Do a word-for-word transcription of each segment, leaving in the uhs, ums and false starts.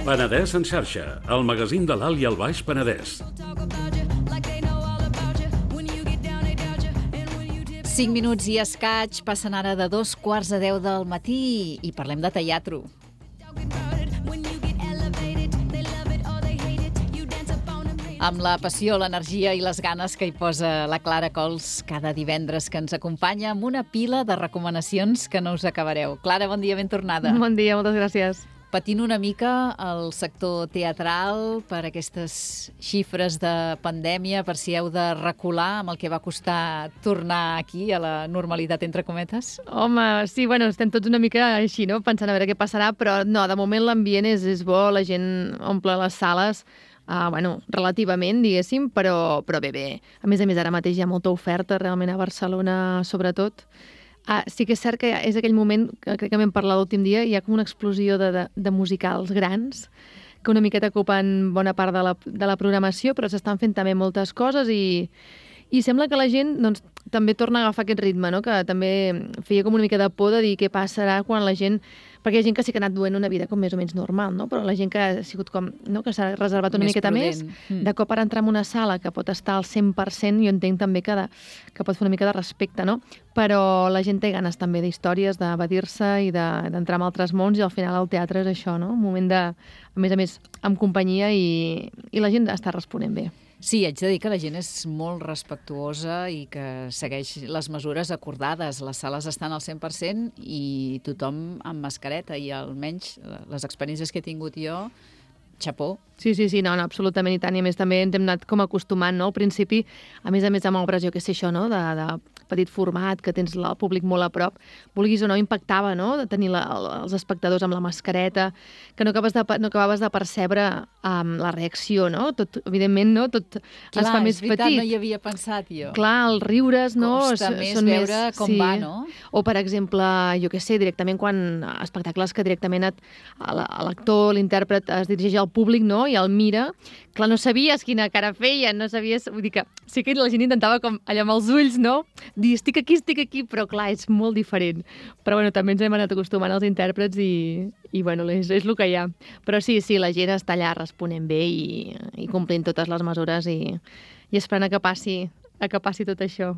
Penedès en xarxa, el magazín de l'Alt i el Baix Penedès. Cinc minuts i escaig, passen ara de dos quarts a deu del matí i parlem de teatre. Amb la passió, l'energia i les ganes que hi posa la Clara Cols cada divendres que ens acompanya amb una pila de recomanacions que no us acabareu. Clara, bon dia, ben tornada. Bon dia, moltes gràcies. Patint una mica el sector teatral per aquestes xifres de pandèmia, per si heu de recular amb el que va costar tornar aquí a la normalitat, entre cometes? Home, sí, bueno, estem tots una mica així, no?, pensant a veure què passarà, però no, de moment l'ambient és, és bo, la gent omple les sales, uh, bueno, relativament, diguéssim, però, però bé, bé. A més a més, ara mateix hi ha molta oferta, realment, a Barcelona, sobretot. Ah, sí que és cert que és aquell moment, que crec que vam parlar l'últim dia, hi ha com una explosió de, de, de musicals grans que una miqueta ocupen bona part de la, de la programació, però s'estan fent també moltes coses i, i sembla que la gent doncs, també torna a agafar aquest ritme, no? Que també feia com una mica de por de dir què passarà quan la gent... Perquè hi ha gent que sí que ha anat duent una vida com més o menys normal, no? Però la gent que ha sigut com... No? Que s'ha reservat una més miqueta prudent. més, Mm. de cop ara entrar en una sala que pot estar al cent per cent, jo entenc també que, de, que pot fer una mica de respecte, no? Però la gent té ganes també d'històries, d'evadir-se i de- d'entrar en altres mons, i al final el teatre és això, no? Un moment de, a més a més, amb companyia, i, i la gent està responent bé. Sí, haig de dir que la gent és molt respectuosa i que segueix les mesures acordades. Les sales estan al cent per cent i tothom amb mascareta, i almenys les experiències que he tingut jo, xapó. Sí, sí, sí, no, no, absolutament, i tant. I a més també ens hem anat com acostumant, no? Al principi, a més a més amb obres, jo què sé, això, no?, de, de petit format, que tens el públic molt a prop, vulguis o no, impactava, no?, de tenir la, els espectadors amb la mascareta, que no acabaves de, no acabaves de percebre um, la reacció, no? Tot, evidentment, no?, tot Clar, es fa més és veritat, petit. no hi havia pensat jo. Clar, els riures, no? Costa s- més són veure com sí. va, no? O, per exemple, jo què sé, directament quan espectacles que directament et, a la- a l'actor, l'intèrpret es dirigeix al públic, no?, i el mira, clar, no sabies quina cara feia, no sabies... Vull dir que sí que la gent intentava com allà amb els ulls, no?, dir estic aquí, estic aquí, però clar, és molt diferent. Però bueno, també ens hem anat acostumant als intèrprets i, i bueno, és, és el que hi ha. Però sí, sí, la gent està allà responent bé i, i complint totes les mesures i, i esperant a que passi, a que passi tot això.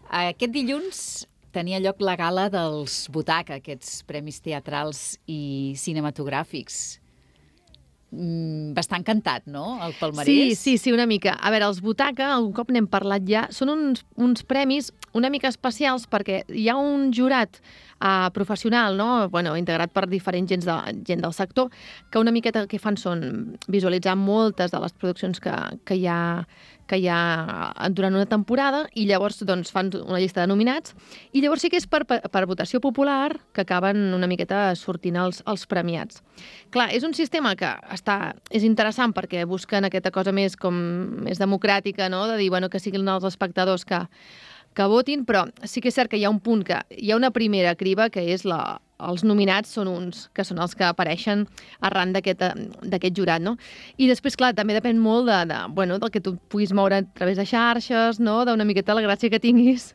Aquest dilluns tenia lloc la gala dels Butaca, aquests premis teatrals i cinematogràfics. Mm, bastant cantat, no?, el palmarès. Sí, sí, sí, una mica. A veure, els Butaca, algun cop n'hem parlat ja, són uns, uns premis una mica especials perquè hi ha un jurat uh, professional, no?, bueno, integrat per diferents gent, de, gent del sector, que una miqueta el que fan són visualitzar moltes de les produccions que, que hi ha que hi ha durant una temporada, i llavors doncs, fan una llista de nominats, i llavors sí que és per, per, per votació popular que acaben una miqueta sortint els, els premiats. Clar, és un sistema que està, és interessant perquè busquen aquesta cosa més, com, més democràtica, no?, de dir bueno, que siguin els espectadors que, que votin, però sí que és cert que hi ha un punt que hi ha una primera criba, que és la, els nominats són uns, que són els que apareixen arran d'aquest d'aquest jurat, no? I després, clar, també depèn molt de, de, bueno, del que tu puguis moure a través de xarxes, no?, d'una miqueta la gràcia que tinguis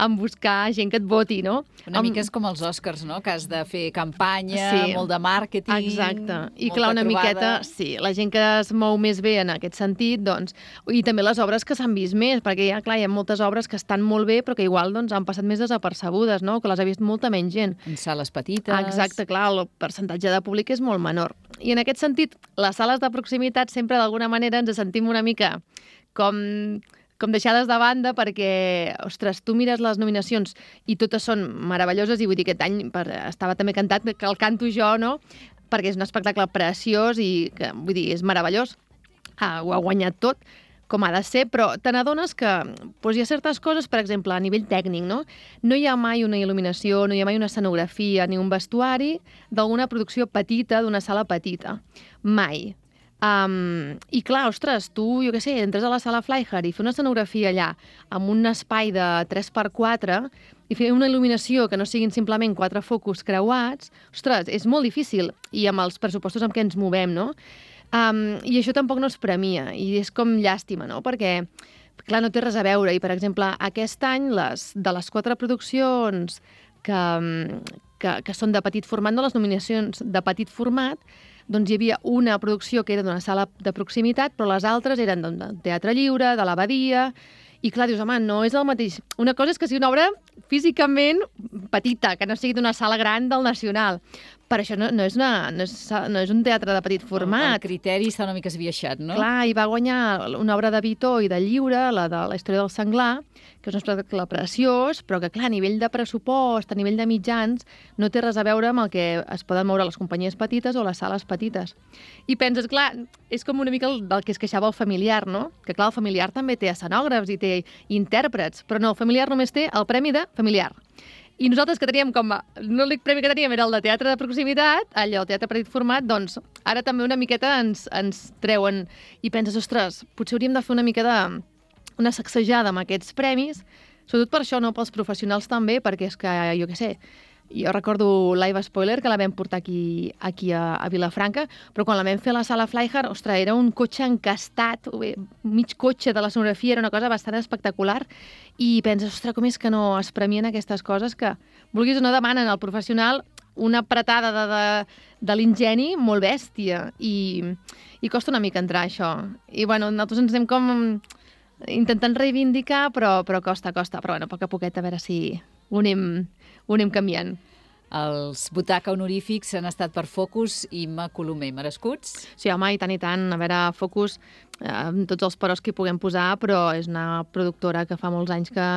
en buscar gent que et voti, no? Una Amb... mica és com els Oscars, no?, que has de fer campanya, Sí. molt de màrqueting... Exacte. I molta clar, una trobada. miqueta, sí, la gent que es mou més bé en aquest sentit, doncs, i també les obres que s'han vist més, perquè ja, clar, hi ha moltes obres que estan molt bé, però que igual doncs, han passat més desapercebudes, no?, que les ha vist molta menys gent. En sales petites... Exacte, clar, el percentatge de públic és molt menor. I en aquest sentit, les sales de proximitat sempre d'alguna manera ens sentim una mica com, com deixades de banda perquè, ostres, tu mires les nominacions i totes són meravelloses, i vull dir, aquest any per, estava també cantat, que el canto jo, no?, perquè és un espectacle preciós i que, vull dir, és meravellós. Ah, ho ha guanyat tot, com ha de ser, però te n'adones que doncs, hi ha certes coses, per exemple, a nivell tècnic, no? No hi ha mai una il·luminació, no hi ha mai una escenografia ni un vestuari d'alguna producció petita, d'una sala petita. Mai. Um, I clar, ostres, tu, jo què sé, entres a la sala Flyhard i fer una escenografia allà amb un espai de tres per quatre i fer una il·luminació que no siguin simplement quatre focus creuats, ostres, és molt difícil, i amb els pressupostos amb què ens movem, no? Um, I això tampoc no es premia, i és com llàstima, no? Perquè, clar, no té res a veure, i per exemple, aquest any, les, de les quatre produccions que, que, que són de petit format, no les nominacions de petit format, doncs hi havia una producció que era d'una sala de proximitat, però les altres eren del Teatre Lliure, de l'Abadia, i clar, dius, home, no és el mateix. Una cosa és que sigui una obra físicament petita, que no sigui d'una sala gran del Nacional, però això no, no, és una, no, és, no és un teatre de petit format. El criteri està una mica esbiaixat, no? Clar, i va guanyar una obra de Vitó i de Lliure, la de la història del senglar, que és un espectacle preciós, però que, clar, a nivell de pressupost, a nivell de mitjans, no té res a veure amb el que es poden moure les companyies petites o les sales petites. I penses, clar, és com una mica el, del que es queixava el familiar, no? Que, clar, el familiar també té escenògrafs i té intèrprets, però no, el familiar només té el premi de familiar. I nosaltres que teníem com a... L'únic premi que teníem era el de teatre de proximitat, allò, el teatre petit format, doncs ara també una miqueta ens, ens treuen i penses, ostres, potser hauríem de fer una mica de... una sacsejada amb aquests premis, sobretot per això, no? Pels professionals també, perquè és que, jo què sé, jo recordo Live Spoiler, que la vam portar aquí, aquí a, a Vilafranca, però quan la vam fer a la sala Flyhard, ostres, era un cotxe encastat, mig cotxe de l'escenografia, era una cosa bastant espectacular, i penses, ostres, com és que no es premien aquestes coses que, vulguis o no, demanen al professional una apretada de, de, de l'ingeni molt bèstia, i, i costa una mica entrar això. I, bueno, nosaltres ens anem com intentant reivindicar, però, però costa, costa. Però, bueno, a poc a poquet, a veure si ho anem, ho anem canviant. Els butaca honorífics han estat per Focus i Imma Colomer, merescuts? Sí, home, i tant, i tant. A veure, Focus, eh, amb tots els peros que hi puguem posar, però és una productora que fa molts anys que,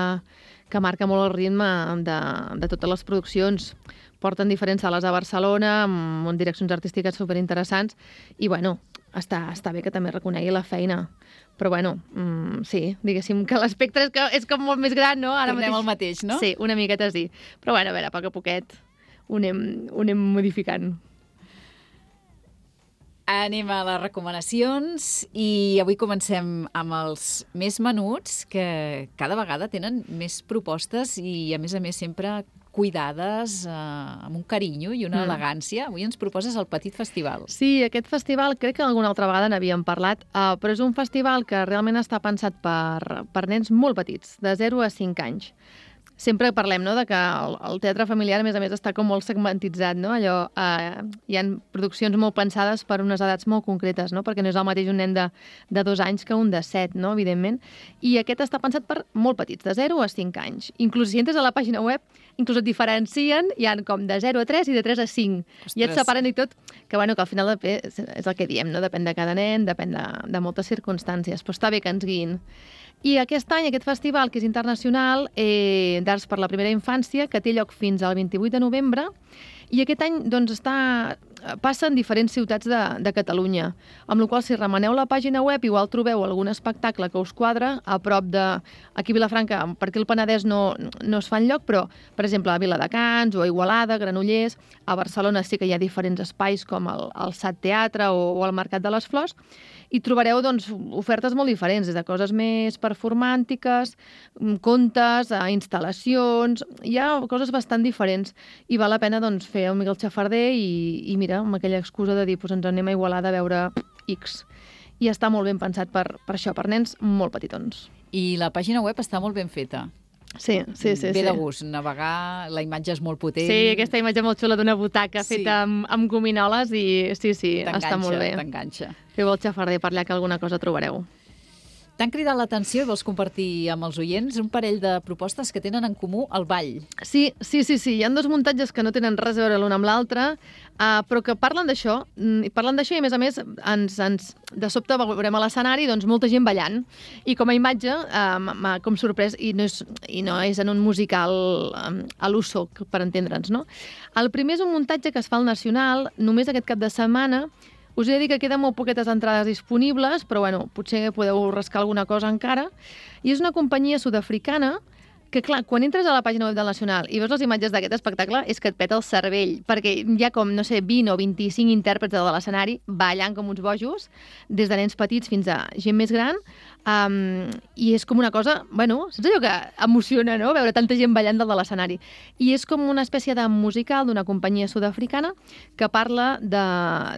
que marca molt el ritme de, de totes les produccions. Porten diferents sales a Barcelona, amb, amb direccions artístiques superinteressants, i, bueno, està, està bé que també reconegui la feina. Però, bueno, mm, sí, diguéssim que l'espectre és, que és com molt més gran, no? Ara Tornem mateix... al mateix, no? Sí, una miqueta sí. Però, bueno, a veure, a poc a poquet ho anem, ho anem modificant. Anem a les recomanacions i avui comencem amb els més menuts, que cada vegada tenen més propostes i, a més a més, sempre cuidades, eh, amb un carinyo i una mm. elegància. Avui ens proposes el Petit Festival. Sí, aquest festival crec que alguna altra vegada n'havíem parlat, uh, però és un festival que realment està pensat per, per nens molt petits, de zero a cinc anys. Sempre parlem, no?, de que el, el teatre familiar, a més a més, està com molt segmentitzat, no? Allò, eh, hi ha produccions molt pensades per unes edats molt concretes, no? Perquè no és el mateix un nen de, de dos anys que un de set, no?, evidentment. I aquest està pensat per molt petits, de zero a cinc anys. Inclús si entres a la pàgina web, inclús et diferencien, hi ha com de zero a tres i de tres a cinc. Ostres. I et separen i tot, que, bueno, que al final és, és el que diem, no? Depèn de cada nen, depèn de, de moltes circumstàncies, però està bé que ens guiïn. I aquest any, aquest festival, que és internacional, eh, d'Arts per la Primera Infància, que té lloc fins al vint-i-vuit de novembre, i aquest any doncs, està, passa en diferents ciutats de, de Catalunya, amb la qual cosa, si remeneu la pàgina web, igual trobeu algun espectacle que us quadra a prop de... Aquí a Vilafranca, per aquí al Penedès no, no es fa enlloc, però, per exemple, a Viladecans o a Igualada, Granollers, a Barcelona sí que hi ha diferents espais com el, el Sat Teatre o, o el Mercat de les Flors, i trobareu doncs, ofertes molt diferents, des de coses més performàntiques, contes, instal·lacions, hi ha coses bastant diferents i val la pena doncs, fer un mica el xafarder i, i mira, amb aquella excusa de dir pues, ens anem a Igualada a veure X. I està molt ben pensat per, per això, per nens molt petitons. I la pàgina web està molt ben feta. Sí, sí, sí. Ve sí. de gust navegar, la imatge és molt potent. Sí, aquesta imatge molt xula d'una butaca sí. feta amb, amb gominoles i sí, sí, està molt bé. T'enganxa. Feu el xafarder per allà que alguna cosa trobareu. T'han cridat l'atenció i vols compartir amb els oients un parell de propostes que tenen en comú el ball. Sí, sí, sí, sí. Hi ha dos muntatges que no tenen res a veure l'un amb l'altre, uh, però que parlen d'això, i parlen d'això i, a més a més, ens, ens, de sobte veurem a l'escenari doncs, molta gent ballant. I com a imatge uh, m'ha com sorprès, i no, és, i no és en un musical um, a l'uso, per entendre'ns, no? El primer és un muntatge que es fa al Nacional, només aquest cap de setmana. Us he de dir que queden molt poquetes entrades disponibles, però bueno, potser podeu rascar alguna cosa encara. I és una companyia sud-africana que, clar, quan entres a la pàgina web del Nacional i veus les imatges d'aquest espectacle és que et peta el cervell, perquè hi ha com, no sé, vint o vint-i-cinc intèrprets de l'escenari ballant com uns bojos, des de nens petits fins a gent més gran, um, i és com una cosa, bueno, saps allò que emociona, no?, veure tanta gent ballant dalt de l'escenari. I és com una espècie de musical d'una companyia sud-africana que parla de...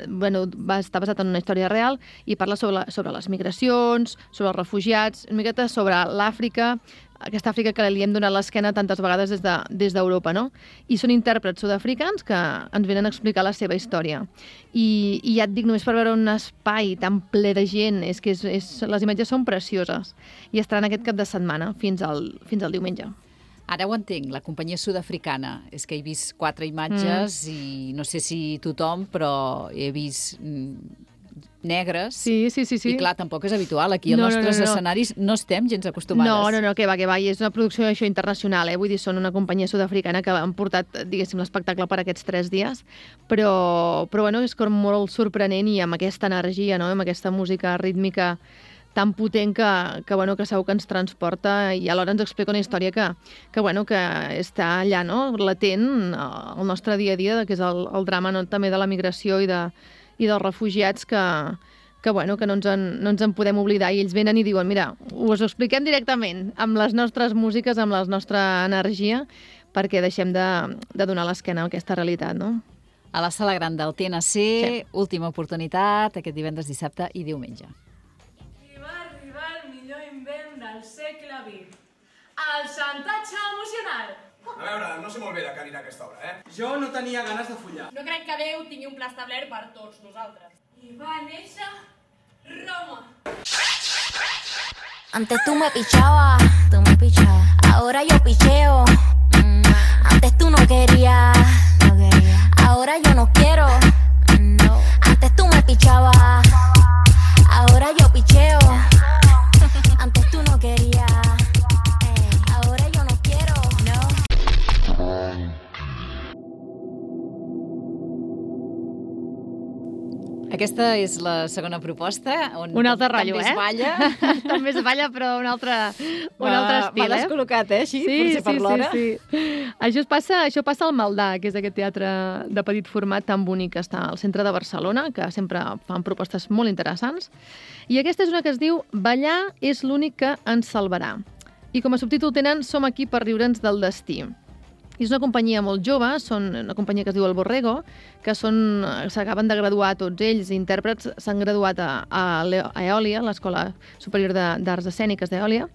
Bueno, va estar basat en una història real i parla sobre, sobre les migracions, sobre els refugiats, una miqueta sobre l'Àfrica, aquesta Àfrica que li hem donat l'esquena tantes vegades des de, des d'Europa, no? I són intèrprets sud-africans que ens venen a explicar la seva història. I, i ja et dic, només per veure un espai tan ple de gent, és que és, és, les imatges són precioses. I estaran aquest cap de setmana, fins al, fins al diumenge. Ara ho entenc, la companyia sud-africana. És que he vist quatre imatges mm. i no sé si tothom, però he vist negres. Sí, sí, sí, sí. I clar, tampoc és habitual. Aquí als no, nostres no, no, no. escenaris no estem gens acostumades. No, no, no, que va, que va. I és una producció això internacional, eh? Vull dir, són una companyia sud-africana que han portat, diguéssim, l'espectacle per aquests tres dies. Però, però bueno, és com molt sorprenent i amb aquesta energia, no? Amb aquesta música rítmica tan potent que, que, bueno, que segur que ens transporta i alhora ens explica una història que, que, bueno, que està allà, no? Latent al nostre dia a dia, que és el, el drama, no? També de la migració i, de, i dels refugiats que, que, bueno, que no, ens en, no ens en podem oblidar. I ells venen i diuen, mira, us ho expliquem directament, amb les nostres músiques, amb la nostra energia, perquè deixem de, de donar l'esquena a aquesta realitat, no? A la Sala Gran del T N C, sí. Última oportunitat, aquest divendres, dissabte i diumenge. Del segle vint. El xantatge emocional. A veure, no sé molt bé de què anirà aquesta obra, eh? Jo no tenia ganes de follar. No crec que Déu tingui un pla establert per tots nosaltres. I va néixer Roma. Antes tú me pichabas, tú me pichabas. Ahora yo picheo. Mm. Antes tú no querías, no quería. Ahora yo no quiero. No. Antes tú me pichabas. Ahora yo picheo. Antes tú no querías, eh, ahora yo no quiero, no. Aquesta és la segona proposta, on un altre rotllo, també eh? es balla. També es balla, però un altre, un altre estil, M'ha descol·locat, eh, així, sí, potser per sí, l'hora. Sí, sí. Això, es passa, això passa al Maldà, que és aquest teatre de petit format tan bonic que està al centre de Barcelona, que sempre fan propostes molt interessants. I aquesta és una que es diu Ballar és l'únic que ens salvarà. I com a subtítol tenen Som aquí per riure'ns del destí. I és una companyia molt jove, són una companyia que es diu El Borrego, que són, s'acaben de graduar tots ells, intèrprets, s'han graduat a, a, a Eòlia, l'Escola Superior d'Arts Escèniques d'Eòlia,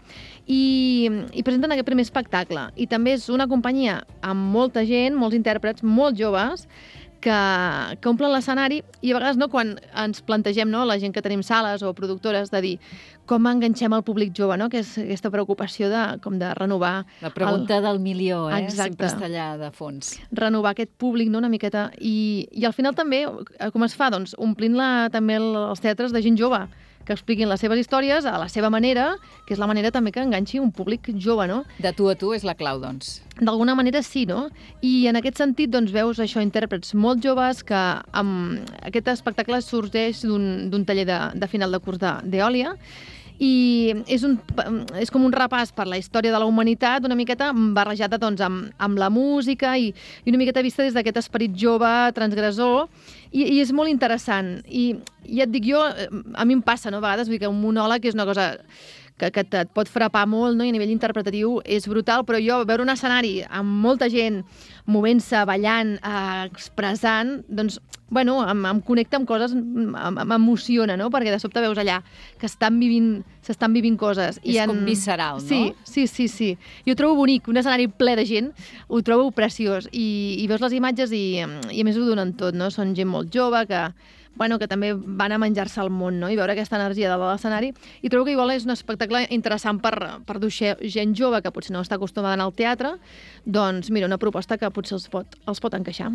i, i presenten aquest primer espectacle. I també és una companyia amb molta gent, molts intèrprets, molt joves, que, que omplen l'escenari i a vegades no, quan ens plantegem, no, la gent que tenim sales o productores, de dir com enganxem el públic jove, no? Que és aquesta preocupació de, com de renovar... La pregunta el... del milió, eh? Exacte. Sempre està allà de fons. Renovar aquest públic, no?, una miqueta. I, i al final també, com es fa? Doncs omplint-la també els teatres de gent jove, que expliquin les seves històries a la seva manera, que és la manera també que enganxi un públic jove, no? De tu a tu és la clau, doncs. D'alguna manera sí, no? I en aquest sentit, doncs, veus això, intèrprets molt joves que amb aquest espectacle sorgeix d'un taller de, de final de curs d'Eòlia, i és, un, és com un repàs per la història de la humanitat, una miqueta barrejada doncs, amb, amb la música i, i una miqueta vista des d'aquest esperit jove, transgressor, i, i és molt interessant. I ja et dic jo, a mi em passa, no? A vegades, vull dir que un monòleg és una cosa que, que et pot frapar molt, no? I a nivell interpretatiu és brutal, però jo veure un escenari amb molta gent movent-se, ballant, eh, expressant, doncs, bueno, em, em connecta amb coses, m'emociona, no? Perquè de sobte veus allà que estan vivint, s'estan vivint coses. És I en... com visceral, no? Sí, sí, sí, sí. Jo ho trobo bonic, un escenari ple de gent, ho trobo preciós. I, i veus les imatges i, i a més ho donen tot, no? Són gent molt jove que, bueno, que també van a menjar-se el món, no? I veure aquesta energia de l'escenari. I trobo que igual és un espectacle interessant per, per dur gent jove que potser no està acostumada a anar al teatre, doncs mira, una proposta que potser els pot, els pot encaixar.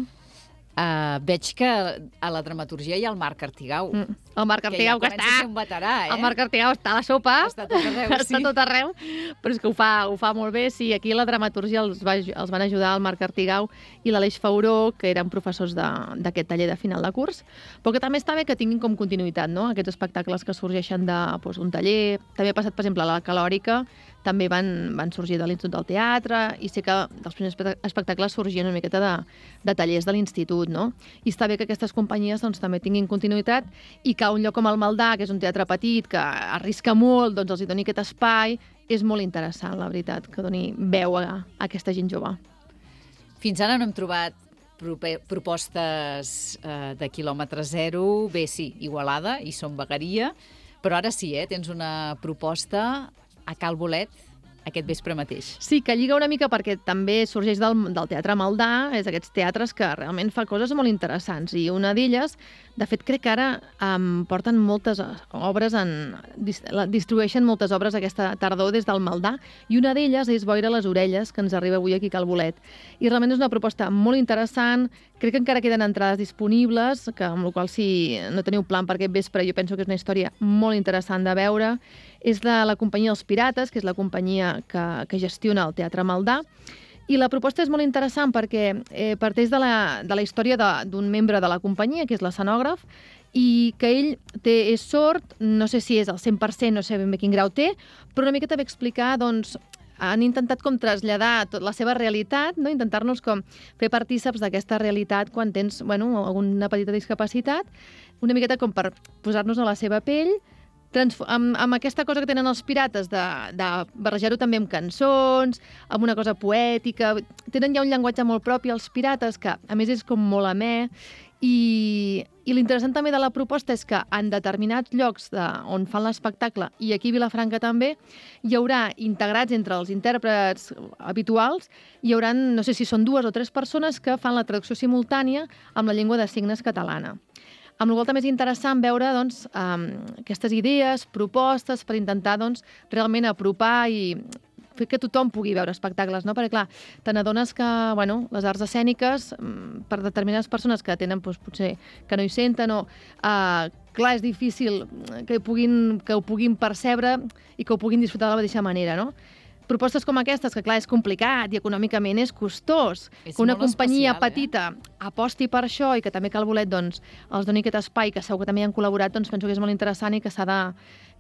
Uh, veig que a la dramaturgia hi ha el Marc Artigau. Mm. El Marc Artigau, que, que ja està... a ser un veterà, eh? El Marc Artigau està a la sopa. Està tot arreu, sí. Està tot arreu, però és que ho fa, ho fa molt bé. Sí, aquí a la dramaturgia els, va, els van ajudar el Marc Artigau i l'Aleix Fauró, que eren professors d'aquest taller de final de curs, però que també està bé que tinguin com continuïtat, no? Aquests espectacles que sorgeixen d'un doncs, taller. També ha passat, per exemple, a la Calòrica, també van, van sorgir de l'Institut del Teatre, i sé que dels primers espectacles sorgien una miqueta de, de tallers de l'Institut, no? I està bé que aquestes companyies doncs, també tinguin continuïtat i que un lloc com el Maldà, que és un teatre petit, que arrisca molt, doncs els hi doni aquest espai. És molt interessant, la veritat, que doni veu a, a aquesta gent jove. Fins ara no hem trobat propostes eh, de quilòmetre zero. Bé, sí, Igualada i Som Vegueria, però ara sí, eh? Tens una proposta a Cal Bolet, aquest vespre mateix. Sí, que lliga una mica perquè també sorgeix del, del Teatre Maldà, és aquests teatres que realment fa coses molt interessants, i una d'elles, de fet, crec que ara um, porten moltes obres, en, distribueixen moltes obres aquesta tardor des del Maldà, i una d'elles és Boira a les orelles, que ens arriba avui aquí a Cal Bolet. I realment és una proposta molt interessant, crec que encara queden entrades disponibles, que amb la qual si no teniu plan per aquest vespre, jo penso que és una història molt interessant de veure. És de la companyia Els Pirates, que és la companyia que, que gestiona el Teatre Maldà, i la proposta és molt interessant perquè eh, parteix de la, de la història d'un membre de la companyia, que és l'escenògraf, i que ell té, és sord, no sé si és al cent per cent, no sé ben bé quin grau té, però una miqueta va explicar, doncs, han intentat com traslladar tot la seva realitat, no? Intentar-nos com fer partíceps d'aquesta realitat quan tens, bueno, alguna petita discapacitat, una miqueta com per posar-nos a la seva pell, amb, amb aquesta cosa que tenen els pirates de, de barrejar-ho també amb cançons, amb una cosa poètica. Tenen ja un llenguatge molt propi els pirates, que a més és com molt amè, i, i l'interessant també de la proposta és que en determinats llocs de, on fan l'espectacle, i aquí a Vilafranca també, hi haurà integrats entre els intèrprets habituals, hi haurà, no sé si són dues o tres persones que fan la traducció simultània amb la llengua de signes catalana. Amb la qual també és interessant veure doncs, um, aquestes idees, propostes, per intentar doncs, realment apropar i fer que tothom pugui veure espectacles, no? Perquè, clar, te n'adones que bueno, les arts escèniques, per determinades persones que tenen doncs, potser que no hi senten, o, uh, clar, és difícil que, puguin, que ho puguin percebre i que ho puguin disfrutar de la mateixa manera, no? Propostes com aquestes, que clar, és complicat i econòmicament és costós, és que una companyia especial, petita eh? aposti per això i que també Cal Bolet doncs, els doni aquest espai, que segur que també hi han col·laborat, doncs penso que és molt interessant i que s'ha de,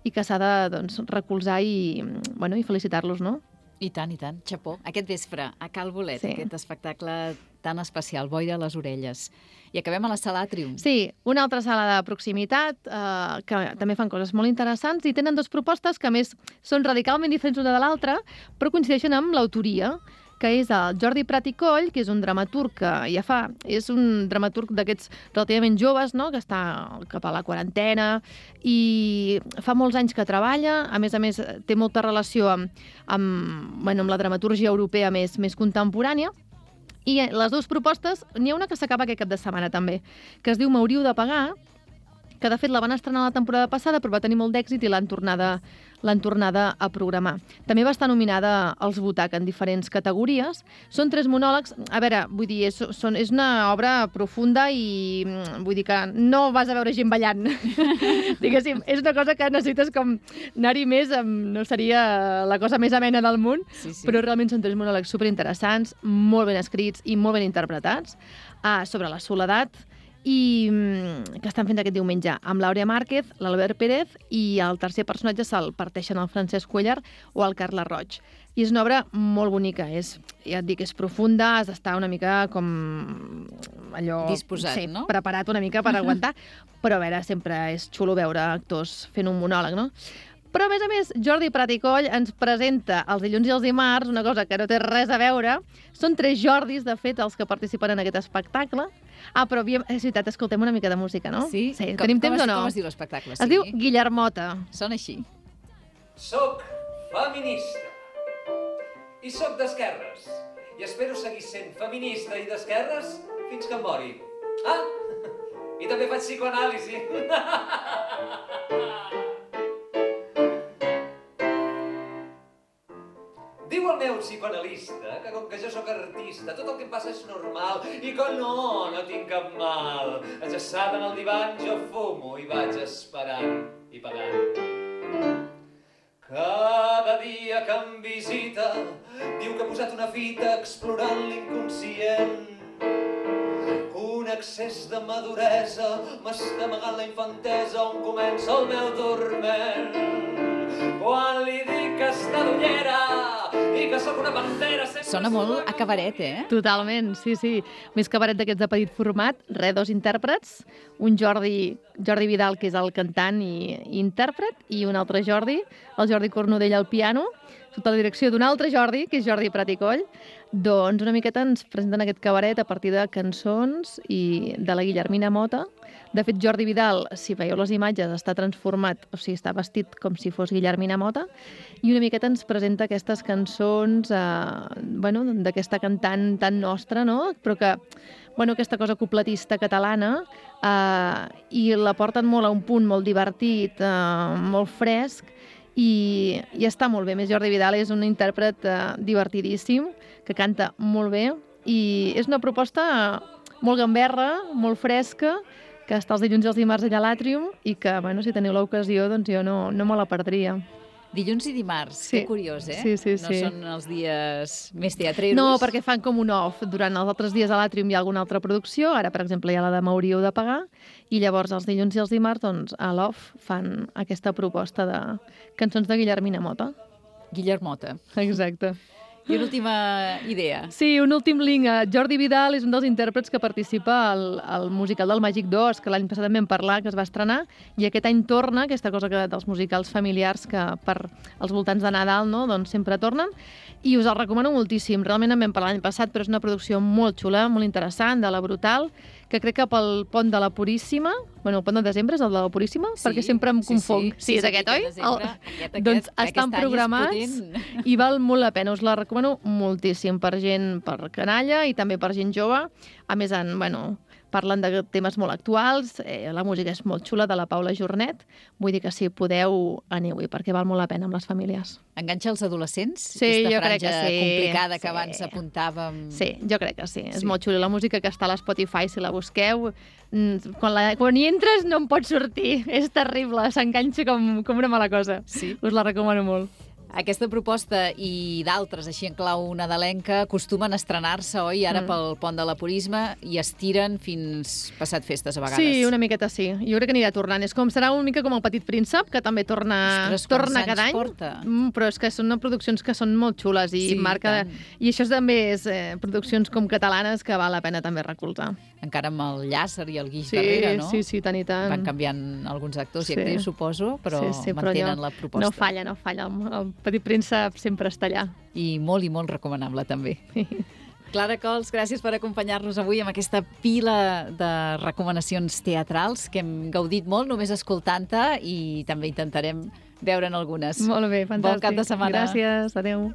i que s'ha de doncs, recolzar i, bueno, i felicitar-los, no? I tant, i tant. Xapó. Aquest vespre, a Cal Bolet, Sí. aquest espectacle tan especial, Boira a les orelles. I acabem a la Sala Àtrium. Sí, una altra sala de proximitat eh, que també fan coses molt interessants i tenen dues propostes que, a més, són radicalment diferents una de l'altra, però coincideixen amb l'autoria, que és el Jordi Prat i Coll, que és un dramaturg que ja fa... És un dramaturg d'aquests relativament joves, no?, que està cap a la quarantena i fa molts anys que treballa. A més a més, té molta relació amb, amb, bueno, amb la dramatúrgia europea més, més contemporània. I les dues propostes, n'hi ha una que s'acaba aquest cap de setmana també, que es diu M'hauríeu de pagar, que de fet la van estrenar la temporada passada però va tenir molt d'èxit i l'han tornada, l'han tornada a programar. També va estar nominada als Butac en diferents categories. Són tres monòlegs. A veure, vull dir, és, són, és una obra profunda i vull dir que no vas a veure gent ballant. Diguéssim, és una cosa que necessites com anar-hi més, no seria la cosa més amena del món, Sí, sí. però realment són tres monòlegs superinteressants, molt ben escrits i molt ben interpretats, ah, sobre la soledat, i que estan fent aquest diumenge amb l'Àurea Márquez, l'Albert Pérez, i el tercer personatge se'l parteixen el Francesc Cuellar o el Carles Roig. I és una obra molt bonica, és, ja et dic, és profunda, has d'estar una mica com allò... Disposat, sí, no? Preparat una mica per aguantar, però a veure, sempre és xulo veure actors fent un monòleg, no? Però, a més a més, Jordi Prat i Coll ens presenta els dilluns i els dimarts una cosa que no té res a veure. Són tres Jordis, de fet, els que participen en aquest espectacle. Ah, però és veritat, escoltem una mica de música, no? Sí? sí. Com, Tenim com temps es, o no? Com es diu l'espectacle? Es diu Guillermota. Sona així. Soc feminista. I soc d'esquerres. I espero seguir sent feminista i d'esquerres fins que em mori. Ah? I també faig psicoanàlisi. Diu el meu psicoanalista que com que jo sóc artista tot el que em passa és normal i que no, no tinc cap mal. Ajaçada en el divan jo fumo i vaig esperant i pagant. Cada dia que em visita diu que ha posat una fita explorant l'inconscient. Un excés de maduresa m'està amagant la infantesa on comença el meu dorment. Quan li dic que està d'ullera i que sóc una pantera... Sona molt a cabaret, eh? Totalment, sí, sí. Més cabaret d'aquests de petit format, re, dos intèrprets, un Jordi, Jordi Vidal, que és el cantant i, i intèrpret, i un altre Jordi, el Jordi Cornudella al piano. sota la direcció d'un altre Jordi, que és Jordi Prat i Coll, doncs una miqueta ens presenten aquest cabaret a partir de cançons i de la Guillermina Mota. De fet, Jordi Vidal, si veieu les imatges, està transformat, o sigui, està vestit com si fos Guillermina Mota, i una miqueta ens presenta aquestes cançons eh, bueno, d'aquesta cantant tan nostra, no? Però que, bueno, aquesta cosa cupletista catalana, eh, i la porten molt a un punt molt divertit, eh, molt fresc, i, i està molt bé. A més, Jordi Vidal és un intèrpret eh, divertidíssim, que canta molt bé, i és una proposta molt gamberra, molt fresca, que està els dilluns i els dimarts allà a l'Àtrium, i que, bueno, si teniu l'ocasió, doncs jo no, no me la perdria. Dilluns i dimarts, Sí. que curiós, eh? Sí, sí, no sí. són els dies més teatreros. No, perquè fan com un off. Durant els altres dies a l'Àtrium hi ha alguna altra producció, ara, per exemple, hi ha la de M'hauríeu de pagar, i llavors els dilluns i els dimarts, doncs, a l'off fan aquesta proposta de cançons de Guillermina Mota. Guillermota. Exacte. I una última idea. Sí, un últim link. Jordi Vidal és un dels intèrprets que participa al, al musical del Màgic dos, que l'any passat en vam parlar, que es va estrenar, i aquest any torna, aquesta cosa que, dels musicals familiars que per als voltants de Nadal, no?, doncs sempre tornen, i us el recomano moltíssim. Realment en vam parlar l'any passat, però és una producció molt xula, molt interessant, de la Brutal, que crec que pel pont de la Puríssima, bueno, el pont de desembre és el de la Puríssima, Sí, perquè sempre em sí, confonc. sí. Sí, és Sí, aquest, aquest oi? desembre, El- aquest, aquest, doncs aquest estan any és programats potent. i val molt la pena. Us la recomano moltíssim per gent, per canalla i també per gent jove. A més, en, bueno, parlen de temes molt actuals, eh, la música és molt xula, de la Paula Jornet, vull dir que si podeu, aneu-hi, perquè val molt la pena amb les famílies. Enganxa els adolescents? Sí, Aquesta jo crec que franja sí. complicada que Sí. abans apuntàvem. Sí, jo crec que sí, és Sí. molt xula. La música que està a l'Spotify, si la busqueu, mm, quan, la, quan hi entres no en pots sortir, és terrible, s'enganxa com, com una mala cosa. Sí. Us la recomano molt. Aquesta proposta i d'altres, així en clau nadalenca, acostumen a estrenar-se, oi, ara Mm. pel Pont de la Puríssima, i estiren fins passat festes a vegades. Sí, una miqueta sí. Jo crec que anirà tornant. És com, serà una mica com el Petit Príncep, que també torna, Ostres, quants torna anys cada any. porta? Mm, però és que són produccions que són molt xules i Sí, marca... tant. I això també és eh, produccions com catalanes que val la pena també recolzar. Encara amb el Llàcer i el Guix Sí, darrere, no? sí, sí, tant i tant. Van canviant alguns actors i Sí. actrius, suposo, però sí, sí, però mantenen allò la proposta. No falla, no falla. El, el Petit Príncep sempre està allà. I molt i molt recomanable, també. Clara Cols, gràcies per acompanyar-nos avui amb aquesta pila de recomanacions teatrals que hem gaudit molt només escoltant-te i també intentarem veure'n algunes. Molt bé, fantàstic. Bon cap de setmana. Gràcies, adeu.